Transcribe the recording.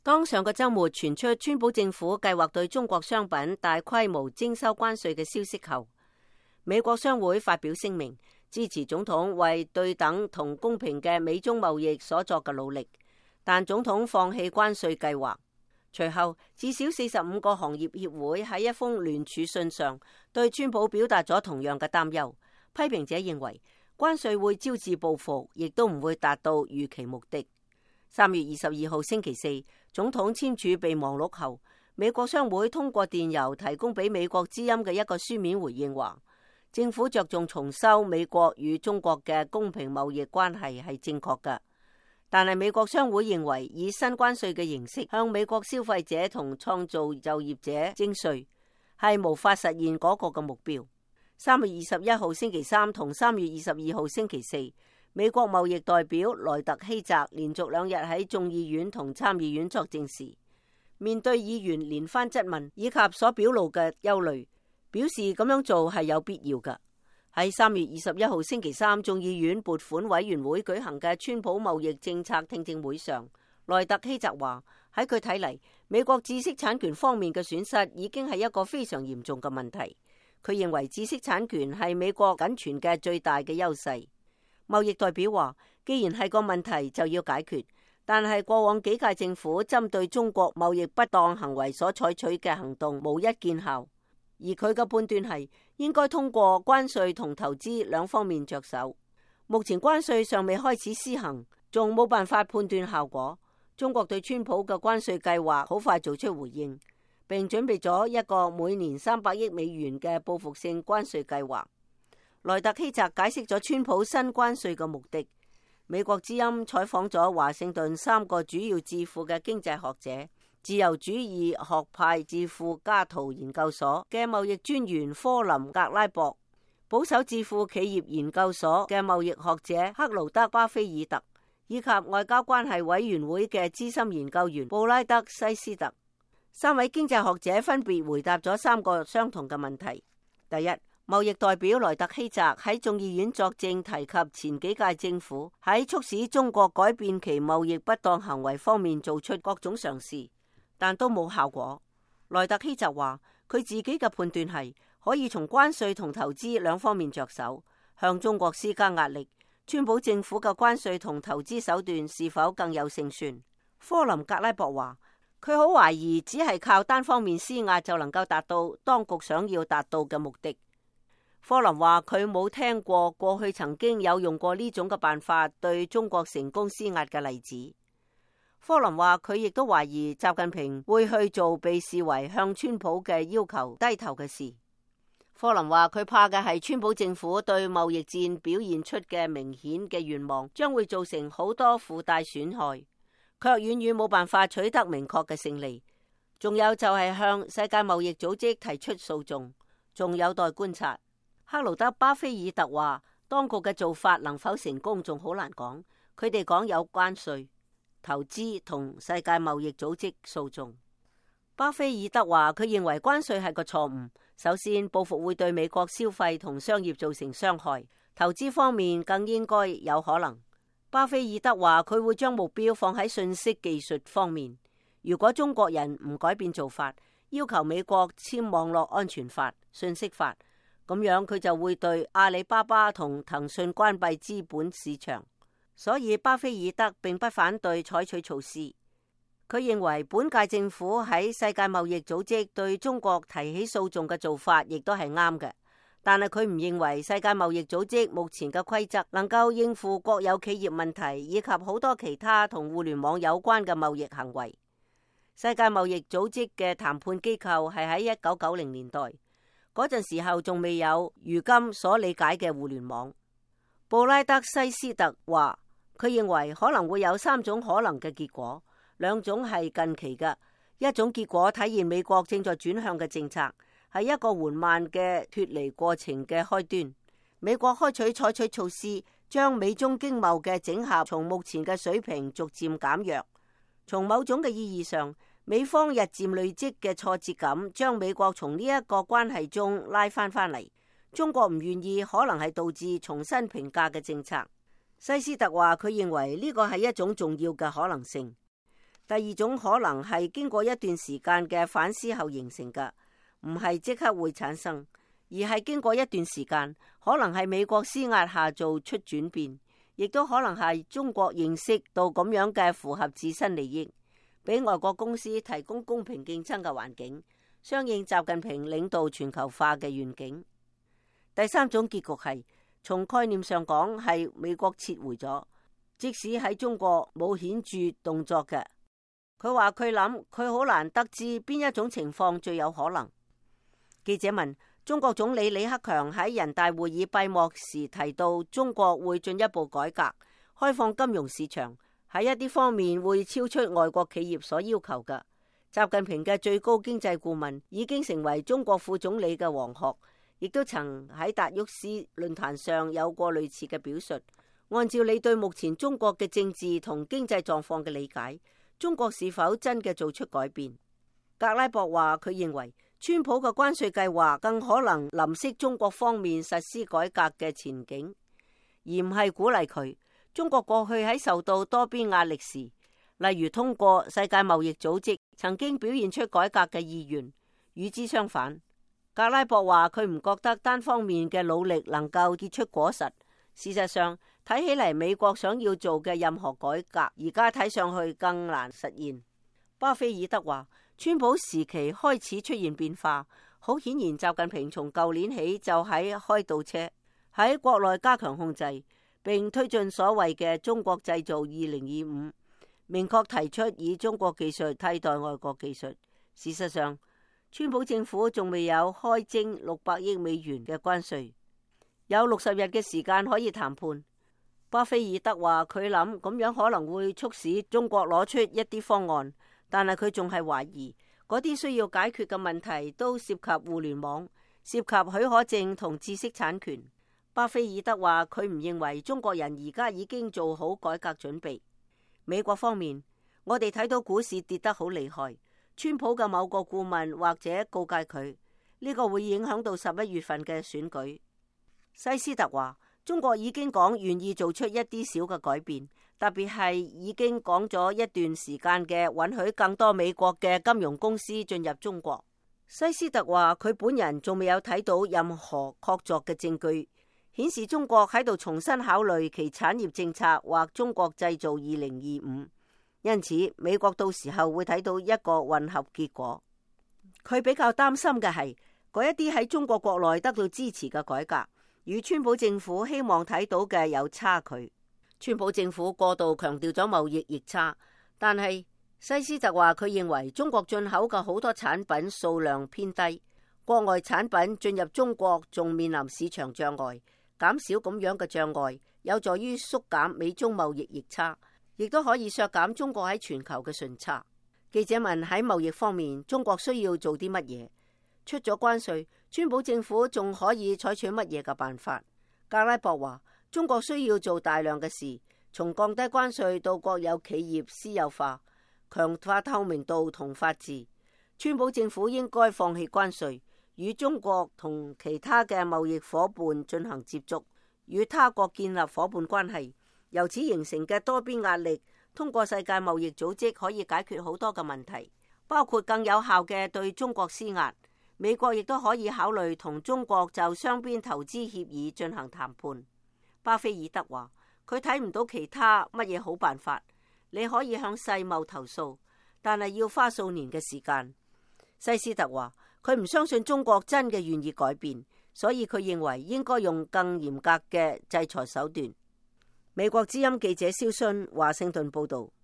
當上個週末傳出川普政府計劃對中國商品大規模徵收關稅嘅消息後，美國商會發表聲明，支持總統為對等同公平嘅美中貿易所作嘅努力，但總統放棄關稅計劃。隨後，至少45個行業協會喺一封聯署信上對川普表達咗同樣嘅擔憂。批評者認為關稅會招致報復，亦都唔會達到預期目的。3月22號星期四，總統簽署備忘錄後，美國商會通過電郵提供俾美國之音嘅一個書面回應話，政府着重重修美國與中國嘅公平貿易關係係正確嘅，但係美國商會認為以新關稅嘅形式向美國消費者同創造就業者徵稅係無法實現嗰個嘅目標。3月21號星期三同3月22號星期四，美國貿易代表萊特希澤連續2日喺眾議院同參議院作證時，面對議員連番質問以及所表露嘅憂慮，表示咁樣做係有必要嘅。喺3月21號星期三，眾議院撥款委員會舉行嘅川普貿易政策聽證會上，萊特希澤話喺佢睇嚟，美國知識產權方面嘅損失已經係一個非常嚴重嘅問題。佢認為知識產權係美國僅存嘅最大嘅優勢。貿易代表話，既然係個問題就要解決，但係過往幾屆政府針對中國貿易不當行為所採取嘅行動無一見效，而佢嘅判斷係應該通過關稅同投資兩方面着手。目前關稅尚未開始施行，仲冇辦法判斷效果。中國對川普嘅關稅計劃好快做出回應，並準備咗一個每年300億美元嘅報復性關稅計劃。萊特希澤解釋咗川普新關稅嘅目的。美國之音採訪咗華盛頓3個主要智庫嘅經濟學者、自由主義學派智庫加圖研究所嘅貿易專員科林格拉博、保守智庫企業研究所嘅貿易學者克勞德巴菲爾特，以及外交關係委員會嘅資深研究員布拉德西斯特。3位經濟學者分別回答咗3個相同嘅問題。第一，貿易代表萊特希澤喺眾議院作證，提及前幾屆政府喺促使中國改變其貿易不當行為方面做出各種嘗試，但都冇效果。萊特希澤話，佢自己嘅判斷係可以從關稅同投資兩方面着手，向中國施加壓力。川普政府嘅關稅同投資手段是否更有勝算？科林格拉博話，佢好懷疑只係靠單方面施壓就能夠達到當局想要達到嘅目的。科林話佢冇聽過去曾經有用過呢種嘅辦法對中國成功施壓嘅例子。科林話佢亦都懷疑習近平會去做被視為向川普嘅要求低頭嘅事。科林話佢怕嘅係川普政府對貿易戰表現出嘅明顯嘅願望將會造成好多附帶損害，卻遠遠冇辦法取得明確嘅勝利。仲有就係向世界貿易組織提出訴訟，仲有待觀察。克勞德巴菲爾特話，當局嘅做法能否成功仲好難講。佢哋講有關稅、投資同世界貿易組織訴訟。巴菲爾特話佢認為關稅係個錯誤。首先，報復會對美國消費同商業造成傷害，投資方面更應該有可能。巴菲爾特話佢會將目標放喺信息技術方面。如果中國人唔改變做法，要求美國簽網絡安全法、信息法，咁樣佢就會對阿里巴巴同騰訊關閉資本市場。所以巴菲爾特並不反對採取措施。佢認為本屆政府喺世界貿易組織對中國提起訴訟嘅做法亦都係啱嘅，但係佢唔認為世界貿易組織目前嘅規則能夠應付國有企業問題以及好多其他同互聯網有關嘅貿易行為。世界貿易組織嘅談判機構係喺1990年代。嗰陣時候仲未有如今所理解嘅互聯網。布拉德西斯特話，佢認為可能會有3種可能嘅結果，2種係近期嘅。一種結果體現美國正在轉向嘅政策，係一個緩慢嘅脫離過程嘅開端。美國採取措施，將美中經貿嘅整合從目前嘅水平逐漸減弱。從某種嘅意義上，美方日漸累積嘅挫折感，將美國從呢一個關係中拉翻嚟。中國唔願意，可能係導致重新評價嘅政策。西斯特話佢認為呢個係一種重要嘅可能性。第二種可能係經過一段時間嘅反思後形成嘅，唔係即刻會產生，而係經過一段時間，可能係美國施壓下做出轉變，亦都可能係中國認識到咁樣嘅符合自身利益，俾外國公司提供公平競爭嘅環境，相應習近平領導全球化嘅願景。第三種結局係從概念上講係美國撤回咗，即使喺中國冇顯著動作嘅。佢話佢諗佢好難得知邊一種情況最有可能。記者問中國總理李克強喺人大會議閉幕時提到中國會進一步改革開放金融市場，喺一啲方面會超出外國企業所要求嘅。習近平嘅最高經濟顧問已經成為中國副總理嘅王學，亦都曾喺達沃斯論壇上有過類似嘅表述。按照你對目前中國嘅政治同經濟狀況嘅理解，中國是否真嘅做出改變？格拉博話佢認為川普嘅關稅計劃更可能淋熄中國方面實施改革嘅前景，而唔係鼓勵佢。中國過去喺受到多邊壓力時，例如通過世界貿易組織，曾經表現出改革嘅意願。與之相反，格拉博話佢唔覺得單方面嘅努力能夠結出果實。事實上，睇起嚟美國想要做嘅任何改革，而家睇上去更難實現。巴菲爾德話，川普時期開始出現變化，好顯然習近平從舊年起就喺開倒車，喺國內加強控制，並推進所謂嘅中國製造2025，明確提出以中國技術替代外國技術。事實上，川普政府仲未有開徵600億美元嘅關稅，有60日嘅時間可以談判。巴菲爾德話佢諗咁樣可能會促使中國攞出一啲方案，但係佢仲係懷疑嗰啲需要解決嘅問題都涉及互聯網、涉及許可證同知識產權。巴菲爾德話佢唔認為中國人而家已經做好改革準備。美國方面，我哋睇到股市跌得好厲害，川普嘅某個顧問或者告誡佢呢個會影響到11月份嘅選舉。西斯特話中國已經講願意做出一啲小嘅改變，特別係已經講咗一段時間嘅允許更多美國嘅金融公司進入中國。西斯特話佢本人仲未有睇到任何確鑿嘅證據顯示中國喺度重新考慮其產業政策或中國製造2025，因此美國到時候會睇到一個混合結果。佢比較擔心嘅係嗰一啲喺中國國內得到支持嘅改革，與川普政府希望睇到嘅有差距。川普政府過度強調咗貿易逆差，但係西斯特話佢認為中國進口嘅好多產品數量偏低，國外產品進入中國仲面臨市場障礙，減少咁樣嘅障礙有助於縮減美中貿易逆差，亦都可以削減中國喺全球嘅順差。記者問喺貿易方面中國需要做啲乜嘢？出咗關稅，川普政府仲可以採取乜嘢嘅辦法？格拉博話中國需要做大量嘅事，從降低關稅到國有企業私有化，強化透明度同法治。川普政府應該放棄關稅，與中國同其他嘅貿易夥伴進行接觸，與他國建立夥伴關係。由此形成嘅多邊壓力，通過世界貿易組織可以解決好多嘅問題，包括更有效嘅對中國施壓。美國亦都可以考慮同中國就雙邊投資協議進行談判。巴菲爾德話佢睇唔到其他乜嘢好辦法。你可以向世貿投訴，但係要花數年嘅時間。西斯特話佢唔相信中國真嘅願意改變，所以佢認為應該用更嚴格嘅制裁手段。美國之音記者蕭迅華盛頓報道。